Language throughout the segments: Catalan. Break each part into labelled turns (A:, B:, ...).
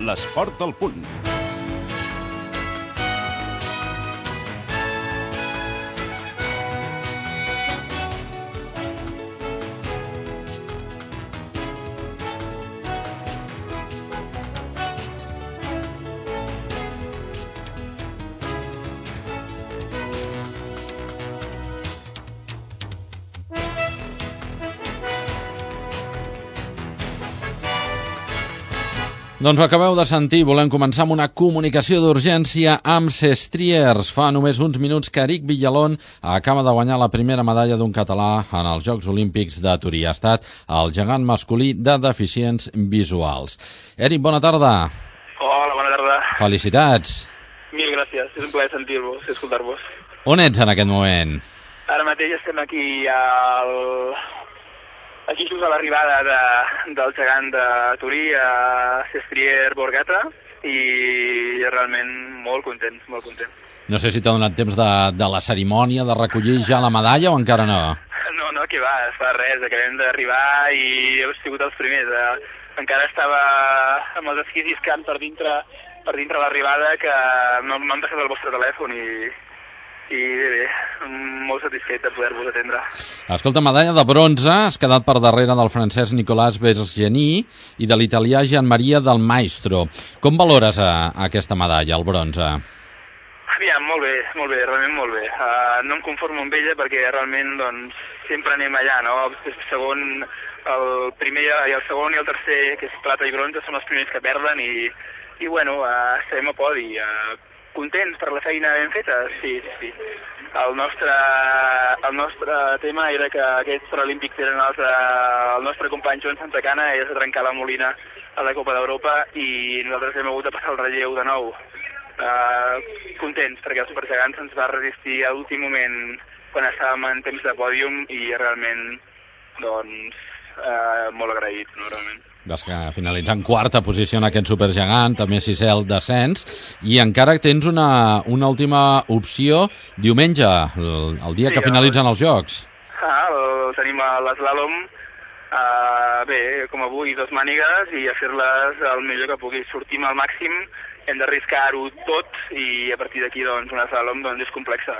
A: l'esport al punt.
B: Doncs ho acabeu de sentir, volem començar amb una comunicació d'urgència amb Sestriers. Fa només uns minuts que Eric Villalón acaba de guanyar la primera medalla d'un català en els Jocs Olímpics de Torí. Ha estat el gegant masculí de deficients visuals. Eric, bona tarda.
C: Hola, bona tarda.
B: Felicitats.
C: Mil gràcies, és un plaer sentir-vos i escoltar-vos.
B: On ets en aquest moment?
C: Ara mateix estem aquí aquí just a l'arribada del gegant de Torí, a Sestrier Borgata, i realment molt contents, molt contents.
B: No sé si t'ha donat temps de la cerimònia, de recollir ja la medalla o encara no?
C: No, que va, fa res, acabem d'arribar i heu sigut els primers. Encara estava amb els esquís lliscant per dintre l'arribada, que no m'han deixat el vostre telèfon i bé, molt satisfet de poder-vos atendre.
B: Escolta, medalla de bronze, has quedat per darrere del francès Nicolas Bergeny i de l'italià Gianmaria Del Maestro. Com valores aquesta medalla, el bronze?
C: Aviam, molt bé, realment molt bé. No em conformo amb ella perquè realment doncs, sempre anem allà, no? El primer i el segon i el tercer, que és plata i bronze, són els primers que perden i bueno, estem a podi. Contents per la feina ben feta? Sí. El nostre tema era que aquests Paralímpics eren el nostre company Joan Santacana és de trencar la Molina a la Copa d'Europa i nosaltres hem hagut de passar el relleu de nou. Contents perquè el supergegant se'ns va resistir a l'últim moment quan estàvem en temps de pòdium i realment doncs molt agraït, no, realment.
B: Vas finalitzar en quarta posició en aquest supergegant, també sisè al descens, i encara tens una última opció diumenge, el dia que finalitzen els Jocs.
C: Tenim l'eslàlom, bé, com avui, 2 mànigues i a fer-les el millor que pugui. Sortim al màxim, hem d'arriscar-ho tot i a partir d'aquí doncs, un eslàlom doncs, és complexa.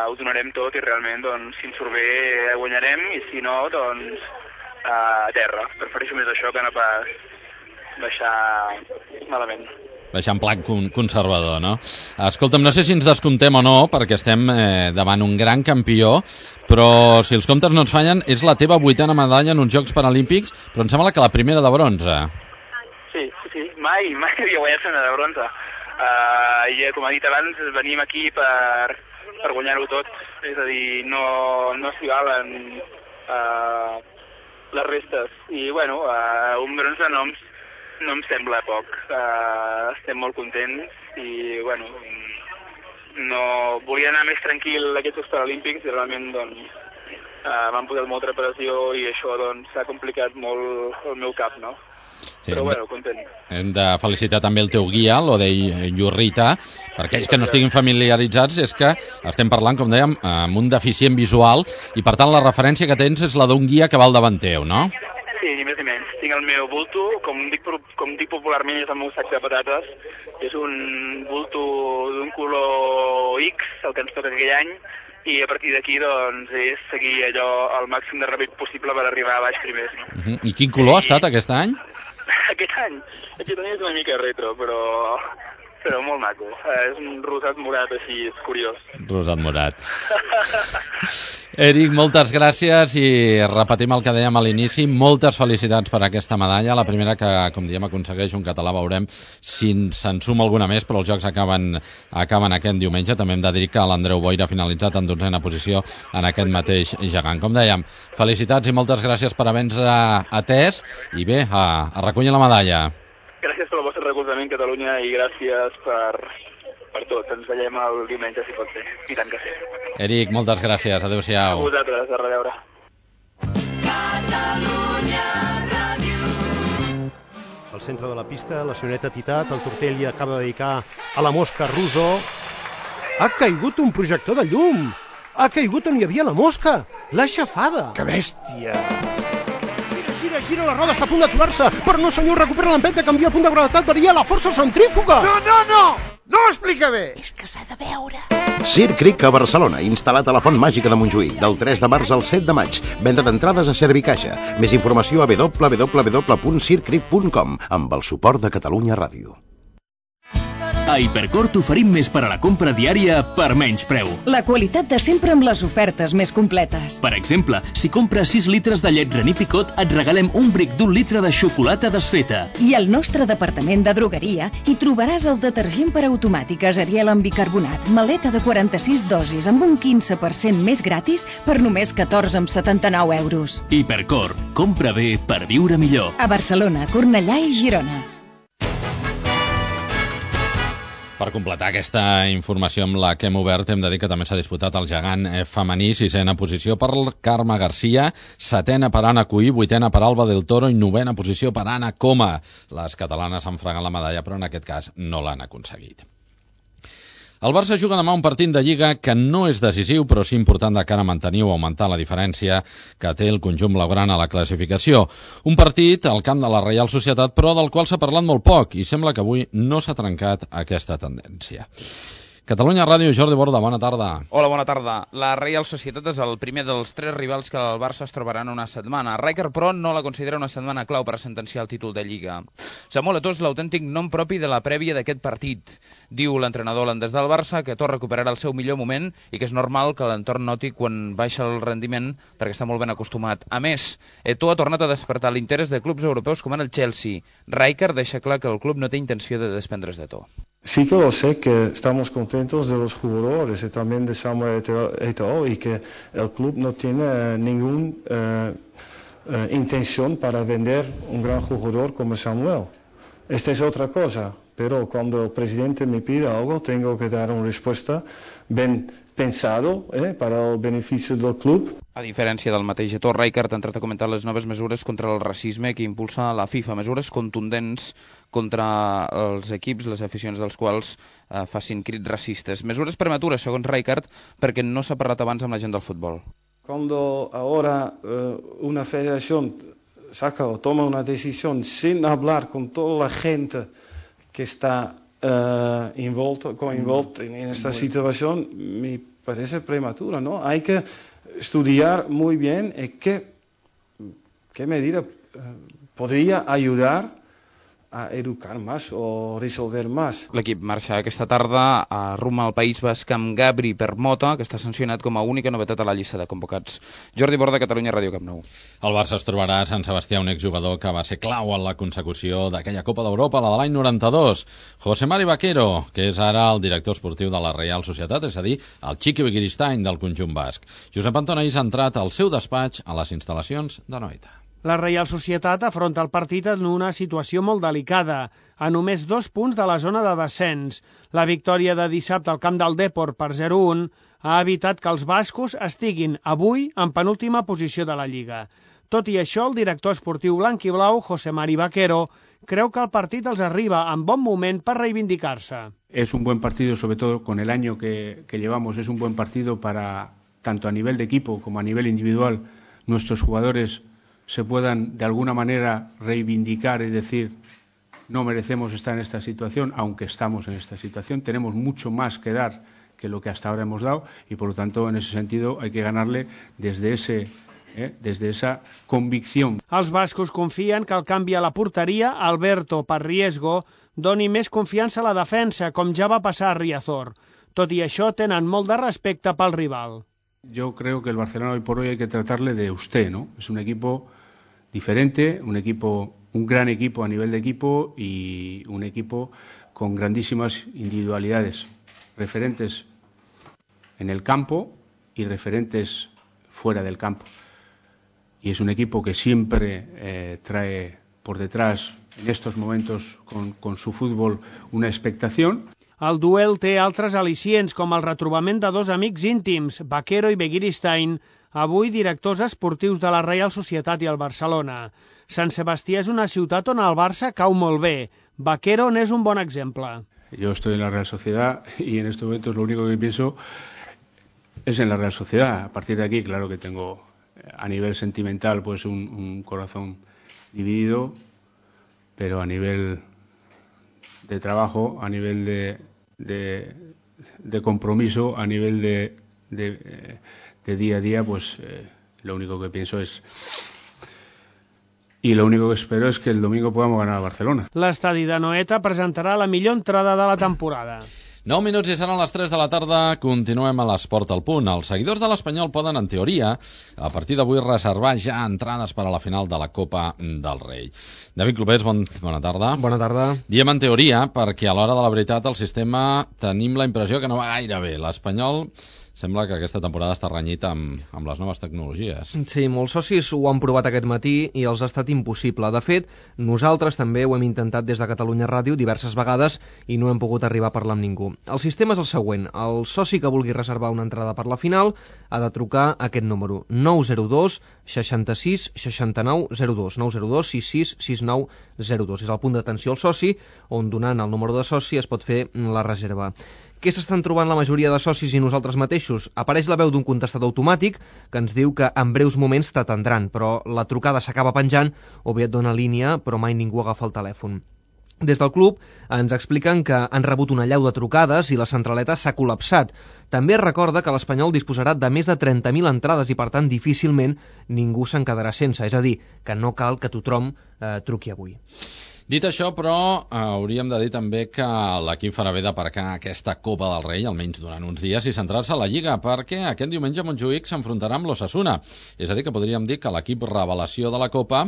C: Ho donarem tot i realment doncs, si ens surt bé guanyarem i si no, doncs a terra. Prefereixo més això que no pas baixar malament.
B: Baixar en plan conservador, no? Escolta'm, no sé si ens descomptem o no, perquè estem davant un gran campió, però si els comptes no ens fallen, és la teva 8a medalla en uns Jocs Paralímpics, però em sembla que la primera de bronze.
C: Sí. Mai havia guanyat una de bronze. I com ha dit abans, venim aquí per guanyar-ho tot. És a dir, no s'hi valen les restes. I bueno, un bronze no em sembla poc. Estem molt contents i bueno, volia anar més tranquil a aquests Jocs Paralímpics i realment doncs m'han posat molta pressió i això doncs s'ha complicat molt el meu cap, no? Sí, però bueno, content.
B: Hem de felicitar també el teu guia, l'Odei Llurrita. Per aquells que no estiguin familiaritzats, és que estem parlant, com dèiem, amb un deficient visual i per tant la referència que tens és la d'un guia que va al davant teu, no?
C: Sí, ni més ni menys. Tinc el meu bulto, com dic popularment, és el meu sac de patates. És un bulto d'un color X, el que ens toca aquell any, i a partir d'aquí doncs és seguir allò el màxim de ràpid possible per arribar a baix primers, no?
B: I quin color ha estat aquest any?
C: Aquest any és una mica retro, però molt maco. És un rosat morat així, és curiós.
B: Rosat morat. Eric, moltes gràcies i repetim el que dèiem a l'inici. Moltes felicitats per aquesta medalla. La primera que, com diem, aconsegueix un català. Veurem si se'n suma alguna més, però els Jocs acaben aquest diumenge. També hem de dir que l'Andreu Boira ha finalitzat en 12a posició en aquest mateix gegant. Com dèiem, felicitats i moltes gràcies per haver-nos atès i bé, a recollir la medalla.
C: Gràcies pel vostre recolzament, Catalunya, i gràcies per tot. Ens veiem el diumenge, si pot ser. I tant que sí.
B: Eric, moltes gràcies. Adéu-siau.
C: A vosaltres, a reveure.
D: Al centre de la pista, la senyoreta Titat, el Tortell acaba de dedicar a la mosca Russo. Ha caigut un projector de llum! Ha caigut on hi havia la mosca! L'ha aixafada!
E: Que bèstia!
D: Gira, gira, gira, la roda està a punt d'aturar-se. Però no, senyor, recupera l'empenta, canvia el punt de gravetat, varia la força centrífuga.
A: No ho explica bé.
E: És que s'ha de veure.
F: Circ Cric a Barcelona, instal·lat a la Font Màgica de Montjuïc, del 3 de març al 7 de maig. Venda d'entrades a Servicaixa. Més informació a www.circcric.com amb el suport de Catalunya Ràdio.
G: A Hipercor t'oferim més per a la compra diària per menys preu.
H: La qualitat de sempre amb les ofertes més completes.
G: Per exemple, si compres 6 litres de llet René Picot, et regalem un bric d'1 litre de xocolata desfeta.
H: I al nostre departament de drogueria hi trobaràs el detergent per automàtiques Ariel amb bicarbonat, maleta de 46 dosis amb un 15% més gratis per només 14,79 euros.
G: Hipercor, compra bé per viure millor.
H: A Barcelona, Cornellà i Girona.
B: Per completar aquesta informació amb la que hem obert, hem de dir que també s'ha disputat el gegant femení, 6ena posició per Carme Garcia, 7ena per Anna Cuí, 8ena per Alba del Toro i 9ena posició per Anna Coma. Les catalanes han fregat la medalla, però en aquest cas no l'han aconseguit. El Barça juga demà un partit de Lliga que no és decisiu, però sí important de cara a mantenir o augmentar la diferència que té el conjunt blaugrana a la classificació. Un partit al camp de la Reial Societat, però del qual s'ha parlat molt poc, i sembla que avui no s'ha trencat aquesta tendència. Catalunya Ràdio, Jordi Borda, bona tarda.
I: Hola, bona tarda. La Reial Societat és el primer dels 3 rivals que el Barça es trobarà en una setmana. Rijkaard, però, no la considera una setmana clau per a sentenciar el títol de Lliga. Samuel Eto'o és l'autèntic nom propi de la prèvia d'aquest partit. Diu l'entrenador holandès del Barça que Eto'o recuperarà el seu millor moment i que és normal que l'entorn noti quan baixa el rendiment perquè està molt ben acostumat. A més, Eto'o ha tornat a despertar l'interès de clubs europeus com en el Chelsea. Rijkaard deixa clar que el club no té intenció de desprendre's d'Eto'o.
J: Sí que lo sé, que estamos contentos de los jugadores y también de Samuel Eto'o y que el club no tiene ninguna intención para vender un gran jugador como Samuel. Esta es otra cosa, pero cuando el presidente me pide algo tengo que dar una respuesta bien pensado para el beneficio del club.
I: A diferència del mateix Eto'o, Rijkaard ha entrat a comentar les noves mesures contra el racisme que impulsa la FIFA, mesures contundents contra els equips, les aficions dels quals facin crits racistes. Mesures prematures, segons Rijkaard, perquè no s'ha parlat abans amb la gent del futbol.
J: Cuando ahora una federación saca o toma una decisión sin hablar con toda la gente que está envuelta en esta situación, me parece prematuro, ¿no? Hay que estudiar muy bien qué medida podría ayudar a educar más o resolver más.
I: L'equip marxa aquesta tarda a rumb al País Basc amb Gabri Permota, que està sancionat com a única novetat a la llista de convocats. Jordi Borda, Catalunya Ràdio, Camp Nou.
B: El Barça es trobarà a Sant Sebastià un exjugador que va ser clau en la consecució d'aquella Copa d'Europa, la de l'any 92. José Mari Vaquero, que és ara el director esportiu de la Reial Societat, és a dir, el Chiqui Begiristain del conjunt basc. Josep Antonais ha entrat al seu despatx a les instal·lacions de Noeta.
K: La Reial Societat afronta el partit en una situació molt delicada, a només 2 punts de la zona de descens. La victòria de dissabte al camp del Depor per 0-1 ha evitat que els bascos estiguin avui en penúltima posició de la Lliga. Tot i això, el director esportiu blanc i blau, José Mari Vaquero, creu que el partit els arriba en bon moment per reivindicar-se.
L: Es un buen partido, sobre todo con el año que llevamos, es un buen partido para, tanto a nivel de equipo como a nivel individual, nuestros jugadores se puedan de alguna manera reivindicar y decir no merecemos estar en esta situación, aunque estamos en esta situación, tenemos mucho más que dar que lo que hasta ahora hemos dado y por lo tanto en ese sentido hay que ganarle desde esa convicción.
K: Els bascos confien que el canvi a la porteria, Alberto per Riesgo, doni més confiança a la defensa, com ja va passar a Riazor. Tot i això, tenen molt de respecte pel rival.
L: Yo creo que el Barcelona hoy por hoy hay que tratarle de usted, ¿no? Es un equipo diferente, un gran equipo a nivel de equipo y un equipo con grandísimas individualidades, referentes en el campo y referentes fuera del campo. Y es un equipo que siempre trae por detrás, en estos momentos, con su fútbol, una expectación.
K: El duel té altres al·licients, com el retrobament de 2 amics íntims, Vaquero i Begiristain, avui directors esportius de la Reial Societat i el Barcelona. Sant Sebastià és una ciutat on el Barça cau molt bé. Vaquero n'és un bon exemple.
L: Yo estoy en la Real Sociedad y en estos momentos lo único que pienso es en la Real Sociedad. A partir de aquí, claro que tengo a nivel sentimental pues un corazón dividido, pero a nivel de trabajo, a nivel de compromiso, a nivel de día a día, pues lo único que pienso es, y lo único que espero es que el domingo podamos ganar a Barcelona.
K: L'estadi de Noeta presentarà la millor entrada de la temporada.
B: 9 minuts i seran les 3 de la tarda. Continuem a l'Esport al Punt. Els seguidors de l'Espanyol poden, en teoria, a partir d'avui reservar ja entrades per a la final de la Copa del Rei. David Clopés, bona tarda.
E: Bona tarda.
B: Diem en teoria perquè a l'hora de la veritat el sistema tenim la impressió que no va gaire bé. L'Espanyol sembla que aquesta temporada està renyit amb les noves tecnologies.
E: Sí, molts socis ho han provat aquest matí i els ha estat impossible. De fet, nosaltres també ho hem intentat des de Catalunya Ràdio diverses vegades i no hem pogut arribar a parlar amb ningú. El sistema és el següent. El soci que vulgui reservar una entrada per la final ha de trucar a aquest número: 902 66 69 02. 902 66 69 02. És el punt d'atenció al soci, on donant el número de soci es pot fer la reserva. Què s'estan trobant la majoria de socis i nosaltres mateixos? Apareix la veu d'un contestador automàtic que ens diu que en breus moments t'atendran, però la trucada s'acaba penjant o bé et dona línia, però mai ningú agafa el telèfon. Des del club ens expliquen que han rebut una allau de trucades i la centraleta s'ha col·lapsat. També es recorda que l'Espanyol disposarà de més de 30.000 entrades i, per tant, difícilment ningú se'n quedarà sense. És a dir, que no cal que tothom truqui avui.
B: Dit això, però, hauríem de dir també que l'equip farà bé d'aparcar aquesta Copa del Rei, almenys durant uns dies, i centrar-se a la Lliga, perquè aquest diumenge Montjuïc s'enfrontarà amb l'Osasuna. És a dir, que podríem dir que l'equip revelació de la Copa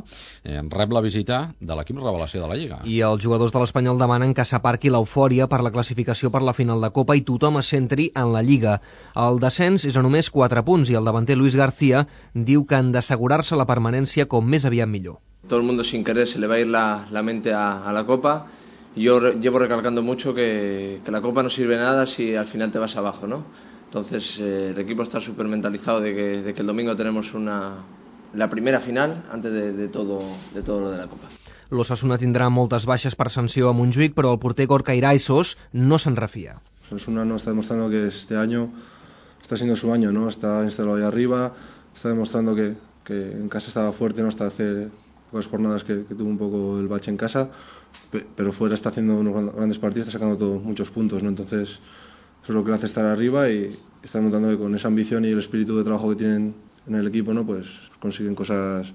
B: rep la visita de l'equip revelació de la Lliga.
E: I els jugadors de l'Espanyol demanen que s'aparqui l'eufòria per la classificació per la final de Copa i tothom es centri en la Lliga. El descens és a només 4 punts i el davanter Luis García diu que han d'assegurar-se la permanència com més aviat millor.
M: Todo el mundo sin querer se le va a ir la mente a la Copa. Yo llevo recalcando mucho que la Copa no sirve de nada si al final te vas abajo, ¿no? Entonces el equipo está súper mentalizado de que el domingo tenemos la primera final antes de todo lo de la Copa.
E: L'Osasuna tindrà moltes baixes per sanció a Montjuïc, però el porter Gorka Iraisos no se'n refia.
N: Osasuna no está demostrando que este año está siendo su año, ¿no? Está instalado ahí arriba, está demostrando que en casa estaba fuerte, ¿no? Hasta hace pocas jornadas que tuvo un poco el bache en casa, pero fuera está haciendo unos grandes partidos, está sacando muchos puntos, ¿no? Entonces eso es lo que le hace estar arriba y está demostrando que con esa ambición y el espíritu de trabajo que tienen en el equipo, ¿no? Pues consiguen cosas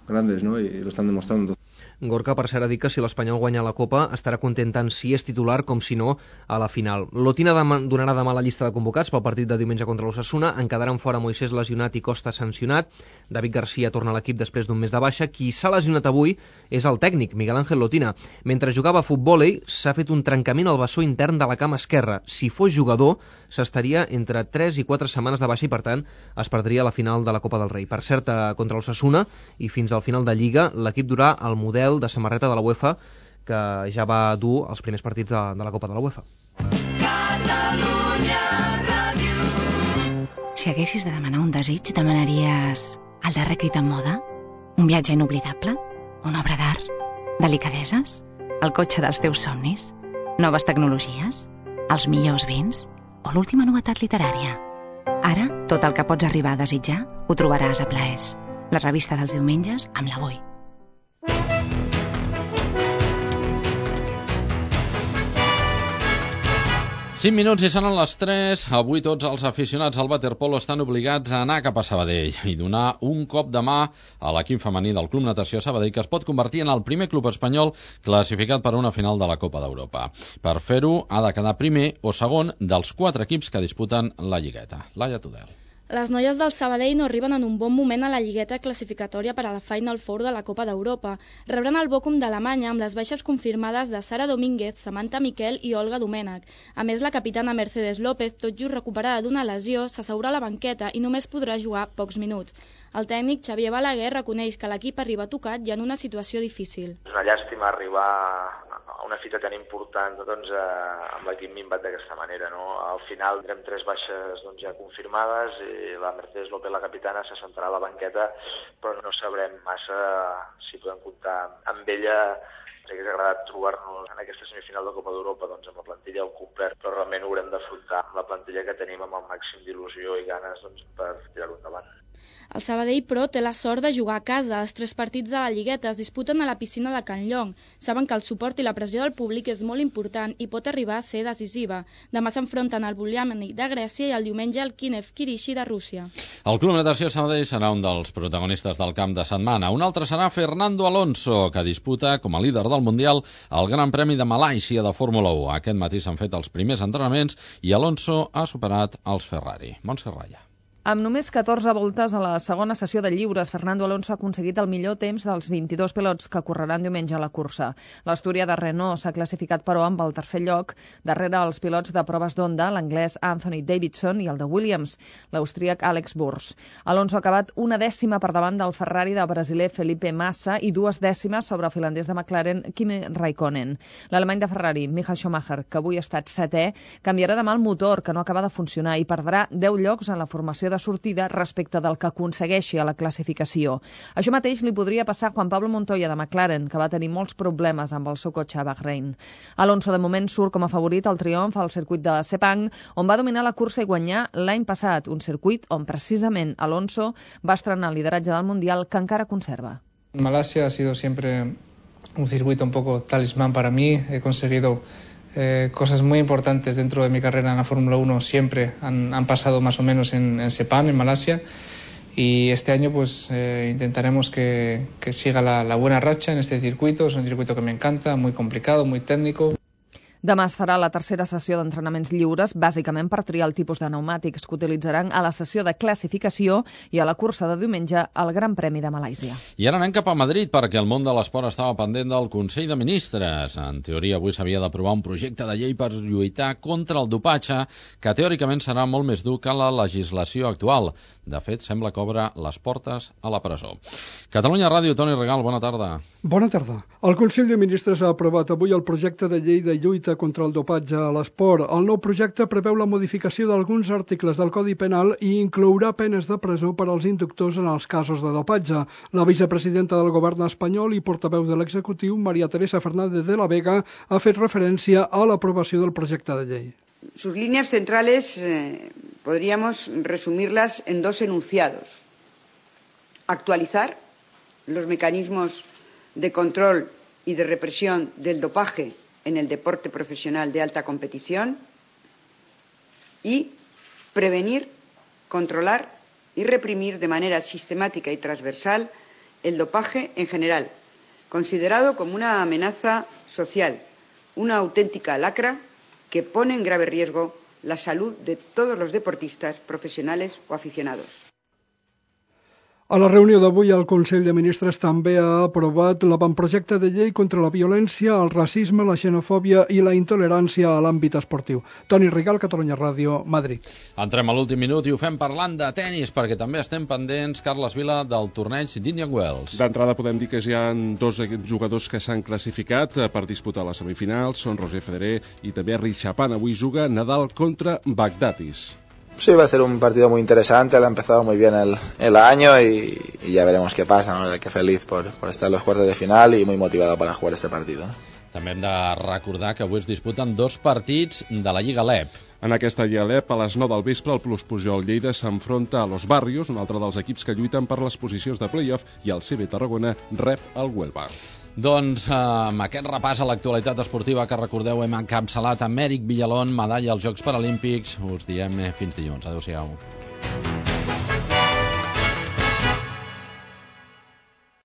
N: grandes, ¿no? Y lo están demostrando.
E: Gorka, per cert, ha dit que si l'Espanyol guanya la Copa estarà content tant si és titular com si no a la final. L'Otina donarà demà la llista de convocats pel partit de diumenge contra l'Osasuna. En quedaran fora Moisés lesionat i Costa sancionat. David García torna a l'equip després d'un mes de baixa. Qui s'ha lesionat avui és el tècnic, Miguel Ángel Lotina. Mentre jugava a futbòlei s'ha fet un trencament al bessó intern de la cama esquerra. Si fos jugador s'estaria entre 3 i 4 setmanes de baixa i, per tant, es perdria la final de la Copa del Rei. Per cert, contra l'Osasuna i fins al final de Lliga, l'equip durà el model de samarreta de la UEFA que ja va dur els primers partits de la Copa de la UEFA.
O: Si haguessis de demanar un desig, demanaries el darrer crit en moda? Un viatge inoblidable? Una obra d'art? Delicadeses? El cotxe dels teus somnis? Noves tecnologies? Els millors vins? O l'última novetat literària? Ara, tot el que pots arribar a desitjar ho trobaràs a Plaers, la revista dels diumenges amb l'Avui.
B: Cinc minuts i seran les 3. Avui tots els aficionats al waterpolo estan obligats a anar cap a Sabadell i donar un cop de mà a l'equip femení del Club Natació Sabadell, que es pot convertir en el primer club espanyol classificat per a una final de la Copa d'Europa. Per fer-ho ha de quedar primer o segon dels 4 equips que disputen la lligueta. Laia Tudel.
P: Les noies del Sabadell no arriben en un bon moment a la lligueta classificatòria per a la Final Four de la Copa d'Europa. Rebran el Bochum d'Alemanya amb les baixes confirmades de Sara Domínguez, Samantha Miquel i Olga Domènech. A més, la capitana Mercedes López, tot just recuperada d'una lesió, s'asseurà a la banqueta i només podrà jugar pocs minuts. El tècnic Xavier Balaguer reconeix que l'equip arriba tocat i en una situació difícil.
Q: És una llàstima arribar a una fita tan important amb l'equip minvat d'aquesta manera, no? Al final tindrem 3 baixes ja confirmades i la Mercedes López, la capitana, se sentarà a la banqueta, però no sabrem massa si podem comptar amb ella. Ens hauria agradat trobar-nos en aquesta semifinal de Copa d'Europa amb la plantilla al complet, però realment ho haurem d'afrontar amb la plantilla que tenim amb el màxim d'il·lusió i ganes per tirar-ho endavant.
P: El Sabadell, però, té la sort de jugar a casa. Els 3 partits de la Lligueta es disputen a la piscina de Can Llong. Saben que el suport i la pressió del públic és molt important i pot arribar a ser decisiva. Demà s'enfronten al Buliamani de Grècia i el diumenge al Kiev Kirishi de Rússia.
B: El Club Natació Sabadell serà un dels protagonistes del camp de setmana. Un altre serà Fernando Alonso, que disputa com a líder del Mundial el Gran Premi de Malàisia de Fórmula 1. Aquest matí s'han fet els primers entrenaments i Alonso ha superat els Ferrari. Montse Raya.
R: Amb només 14 voltes a la segona sessió de lliures, Fernando Alonso ha aconseguit el millor temps dels 22 pilots que correran diumenge a la cursa. L'Astúria de Renault s'ha classificat, però, amb el tercer lloc, darrere els pilots de proves d'Honda, l'anglès Anthony Davidson i el de Williams, l'austríac Alex Burs. Alonso ha acabat 1 dècima per davant del Ferrari del brasiler Felipe Massa i 2 dècimes sobre el finlandès de McLaren Kimi Raikkonen. L'alemany de Ferrari, Michael Schumacher, que avui ha estat 7è, canviarà demà el motor, que no acaba de funcionar, i perdrà 10 llocs en la formació de sortida respecte del que aconsegueixi a la classificació. Això mateix li podria passar a Juan Pablo Montoya de McLaren, que va tenir molts problemes amb el seu cotxe a Bahrein. Alonso de moment surt com a favorit al triomf al circuit de Sepang, on va dominar la cursa i guanyar l'any passat, un circuit on precisament Alonso va estrenar el lideratge del Mundial, que encara conserva.
S: Malasia ha sido siempre un circuito un poco talismán para mí. He conseguido cosas muy importantes dentro de mi carrera en la Fórmula 1 siempre han pasado más o menos en Sepang, en Malasia, y este año pues intentaremos que siga la buena racha en este circuito. Es un circuito que me encanta, muy complicado, muy técnico.
R: Demà es farà la tercera sessió d'entrenaments lliures, bàsicament per triar el tipus de pneumàtics que utilitzaran a la sessió de classificació i a la cursa de diumenge al Gran Premi de Malàisia.
B: I ara anem cap a Madrid, perquè el món de l'esport estava pendent del Consell de Ministres. En teoria, avui s'havia d'aprovar un projecte de llei per lluitar contra el dopatge, que teòricament serà molt més dur que la legislació actual. De fet, sembla que obre les portes a la presó. Catalunya Ràdio, Toni Regal, bona tarda.
T: Bona tarda. El Consell de Ministres ha aprovat avui el projecte de llei de lluita contra el dopatge a l'esport. El nou projecte preveu la modificació d'alguns articles del Codi Penal i inclourà penes de presó per als inductors en els casos de dopatge. La vicepresidenta del govern espanyol i portaveu de l'executiu, María Teresa Fernández de la Vega, ha fet referència a l'aprovació del projecte de llei.
U: Sus líneas centrales podríamos resumirlas en 2 enunciados. Actualizar los mecanismos de control y de represión del dopaje en el deporte profesional de alta competición y prevenir, controlar y reprimir de manera sistemática y transversal el dopaje en general, considerado como una amenaza social, una auténtica lacra que pone en grave riesgo la salud de todos los deportistas profesionales o aficionados.
T: A la reunió d'avui, el Consell de Ministres també ha aprovat l'avantprojecte de llei contra la violència, el racisme, la xenofòbia i la intolerància a l'àmbit esportiu. Toni Rigal, Catalunya Ràdio, Madrid.
B: Entrem a l'últim minut i ho fem parlant de tennis, perquè també estem pendents, Carles Vila, del torneig d'Indian Wells.
V: D'entrada podem dir que ja hi ha 2 jugadors que s'han classificat per disputar les semifinals, són Roger Federer i també Richapán. Avui juga Nadal contra Baghdatis.
W: Sí, va a ser un partido muy interesante, él ha empezado muy bien el año y ya veremos qué pasa, ¿no? Qué feliz por estar en los cuartos de final y muy motivado para jugar este partido.
B: També hem de recordar que avui es disputen 2 partits de la Lliga LEP.
V: En aquesta Lliga LEP, a les 9 del vespre, el Plus Pujol Lleida s'enfronta a Los Barrios, un altre dels equips que lluiten per les posicions de play-off, i el CB Tarragona rep el Huelva.
B: Doncs amb aquest repàs a l'actualitat esportiva que recordeu hem encapçalat amb Èric Villalón, medalla als Jocs Paralímpics. Us diem fins dilluns. Adéu-siau.